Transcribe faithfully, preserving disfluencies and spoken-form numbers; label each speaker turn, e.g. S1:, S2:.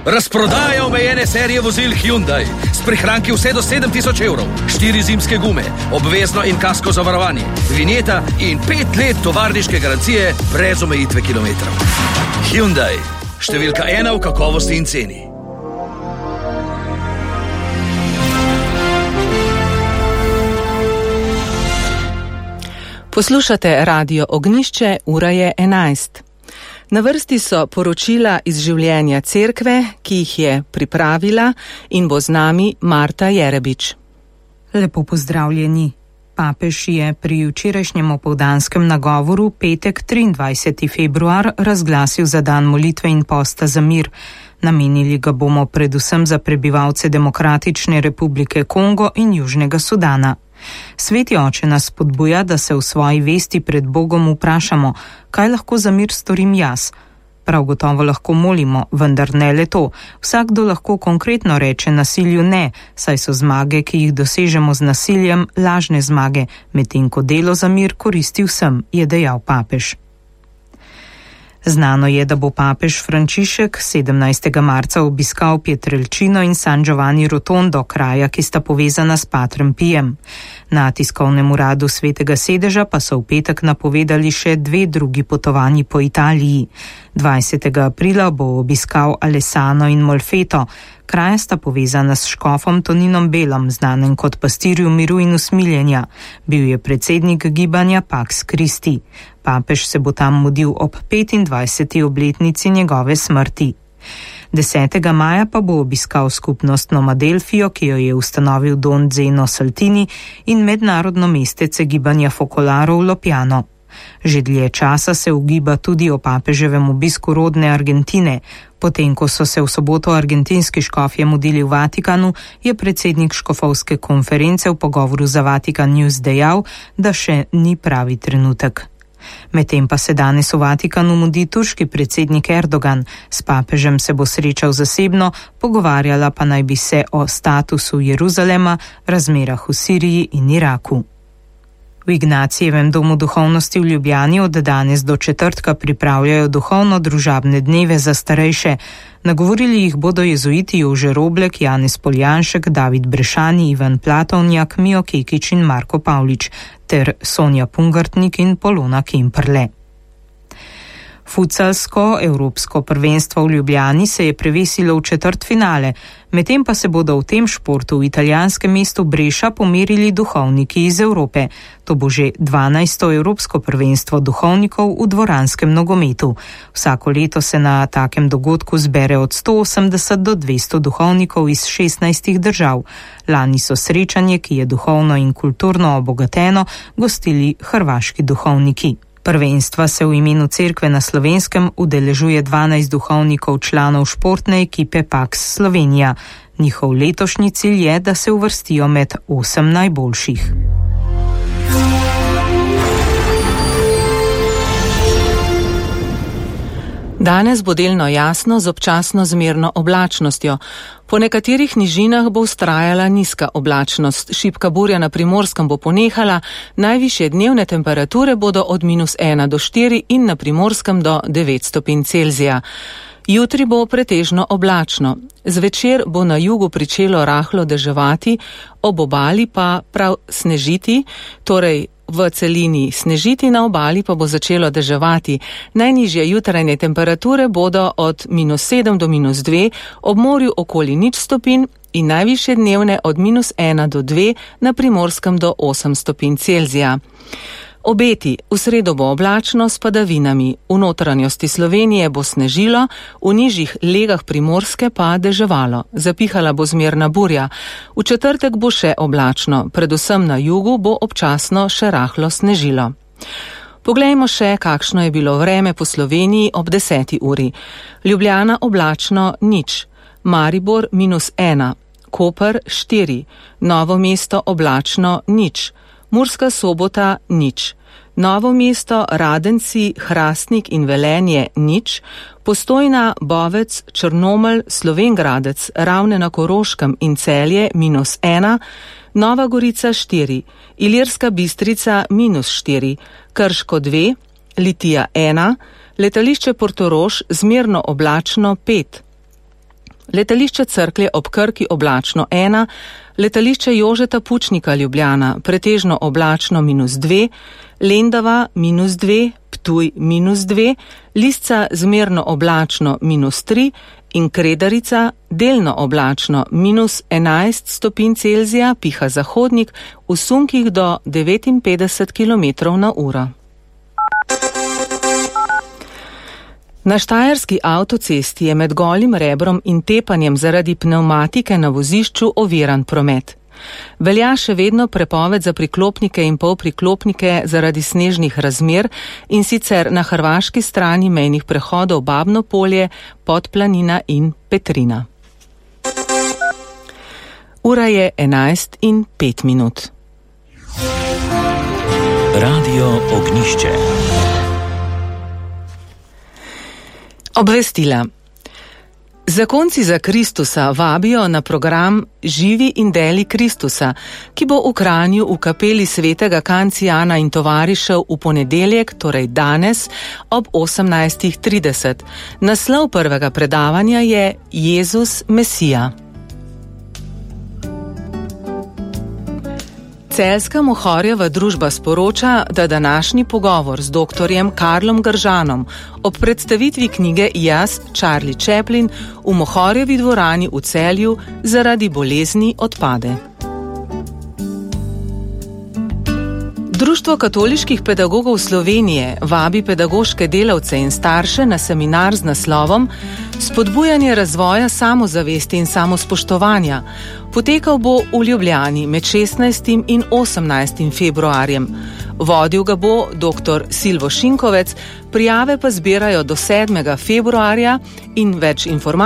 S1: Razprodaja omejene serije vozil Hyundai s prihranki vse do sedem tisoč evrov, štiri zimske gume, obvezno in kasko zavarovanje, vinjeta in pet let tovarniške garancije brez omejitve kilometrov. Hyundai, številka ena v kakovosti in ceni.
S2: Poslušate Radio Ognjišče, ura je enajst. Na vrsti so poročila iz življenja cerkve, ki jih je pripravila in bo z nami Marta Jerebič.
S3: Lepo pozdravljeni. Papež je pri včerajšnjem opoldanskem nagovoru petek triindvajseti februar razglasil za dan molitve in posta za mir. Namenili ga bomo predvsem za prebivalce Demokratične republike Kongo in Južnega Sudana. Sveti oče nas spodbuja, da se v svoji vesti pred Bogom vprašamo, kaj lahko za mir storim jaz. Prav gotovo lahko molimo, vendar ne le to. Vsakdo lahko konkretno reče nasilju ne, saj so zmage, ki jih dosežemo z nasiljem, lažne zmage, medtem ko delo za mir koristi vsem, je dejal papež. Znano je, da bo papež Frančišek sedemnajstega marca obiskal Pietrelcino in San Giovanni Rotondo, kraja, ki sta povezana s Patrem Pijem. Na tiskovnem uradu Svetega sedeža pa so v petek napovedali še dve drugi potovanji po Italiji. dvajsetega aprila bo obiskal Alessano in Molfeto. Kraja sta povezana s škofom Toninom Belom, znanem kot pastirju miru in usmiljenja. Bil je predsednik gibanja Pax Christi. Papež se bo tam mudil ob petindvajseti obletnici njegove smrti. desetega maja pa bo obiskal skupnost Nomadelfijo, ki jo je ustanovil Don Zeno Saltini, in mednarodno mestece gibanja Focolaro v Lopjano. Že dlje časa se ugiba tudi o papeževem obisku rodne Argentine. Potem, ko so se v soboto argentinski škofje mudili v Vatikanu, je predsednik škofovske konference v pogovoru za Vatikan News dejal, da še ni pravi trenutek. Medtem pa se danes v Vatikanu mudi turški predsednik Erdogan. S papežem se bo srečal zasebno, pogovarjala pa naj bi se o statusu Jeruzalema, razmerah v Siriji in Iraku. V Ignacijevem domu duhovnosti v Ljubljani od danes do četrtka pripravljajo duhovno-družabne dneve za starejše. Nagovorili jih bodo jezuiti Jože Roblek, Janez Poljanšek, David Brešani, Ivan Platovnjak, Mijo Kekič in Marko Pavlič ter Sonja Pungartnik in Polona Kemperle. Futsalsko evropsko prvenstvo v Ljubljani se je prevesilo v četrtfinale, medtem pa se bodo v tem športu v italijanskem mestu Breša pomerili duhovniki iz Evrope. To bo že dvanajsto evropsko prvenstvo duhovnikov v dvoranskem nogometu. Vsako leto se na takem dogodku zbere od sto osemdeset do dvesto duhovnikov iz šestnajstih držav. Lani so srečanje, ki je duhovno in kulturno obogateno, gostili hrvaški duhovniki. Prvenstva se v imenu cerkve na Slovenskem udeležuje dvanajst duhovnikov članov športne ekipe Pax Slovenija. Njihov letošnji cilj je, da se uvrstijo med osem najboljših.
S2: Danes bo delno jasno z občasno zmerno oblačnostjo. Po nekaterih nižinah bo vztrajala nizka oblačnost, šibka burja na Primorskem bo ponehala, najvišje dnevne temperature bodo od minus ena do štiri in na Primorskem do devet stopinj Celzija. Jutri bo pretežno oblačno. Zvečer bo na jugu pričelo rahlo deževati, ob obali pa prav snežiti, torej v celini snežiti, na obali pa bo začelo deževati. Najnižje jutrajne temperature bodo od minus sedem do minus dve, ob morju okoli nič stopinj in najvišje dnevne od minus ena do dve, na Primorskem do osem stopinj Celzija. Obeti: v sredo bo oblačno s padavinami, v notranjosti Slovenije bo snežilo, v nižjih legah Primorske pa deževalo, zapihala bo zmerna burja. V četrtek bo še oblačno, predvsem na jugu bo občasno še rahlo snežilo. Poglejmo še, kakšno je bilo vreme po Sloveniji ob deseti uri. Ljubljana oblačno nič, Maribor minus ena, Koper štiri, Novo mesto oblačno nič, Murska Sobota nič, Novo mesto, Radenci, Hrastnik in Velenje nič, Postojna, Bovec, Črnomelj, Slovengradec, Ravne na Koroškem in Celje minus ena, Nova Gorica štiri, Ilirska Bistrica minus štiri, Krško dve, Litija ena, letališče Portorož zmerno oblačno pet, letališče Cerklje ob Krki oblačno ena, letališče Jožeta Pučnika Ljubljana pretežno oblačno minus dve, Lendava minus dve, Ptuj minus dve, Lisca zmerno oblačno minus tri in Kredarica delno oblačno minus enajst stopinj Celzija, piha zahodnik v sunkih do devetinpetdeset kilometrov na uro. Na štajerski avtocesti je med Golim Rebrom in Tepanjem zaradi pnevmatike na vozišču oviran promet. Velja še vedno prepoved za priklopnike in polpriklopnike zaradi snežnih razmer in sicer na hrvaški strani mejnih prehodov Babno Polje, Podplanina in Petrina. Ura je enajst in pet minut.
S4: Radio Ognjišče.
S2: Obvestila. Zakonci za Kristusa vabijo na program Živi in deli Kristusa, ki bo v Kranju v kapeli svetega Kancijana in tovarišev v ponedeljek, torej danes, ob osemnajst trideset. Naslov prvega predavanja je Jezus Mesija. Celjska Mohorjeva družba sporoča, da današnji pogovor z doktorjem Karlom Gržanom ob predstavitvi knjige Jaz, Charlie Chaplin v Mohorjevi dvorani v Celju zaradi bolezni odpade. Društvo katoliških pedagogov Slovenije vabi pedagoške delavce in starše na seminar z naslovom Spodbujanje razvoja samozavesti in samospoštovanja. Potekal bo v Ljubljani med šestnajstim in osemnajstim februarjem. Vodil ga bo doktor Silvo Šinkovec, prijave pa zbirajo do sedmega februarja in več informacij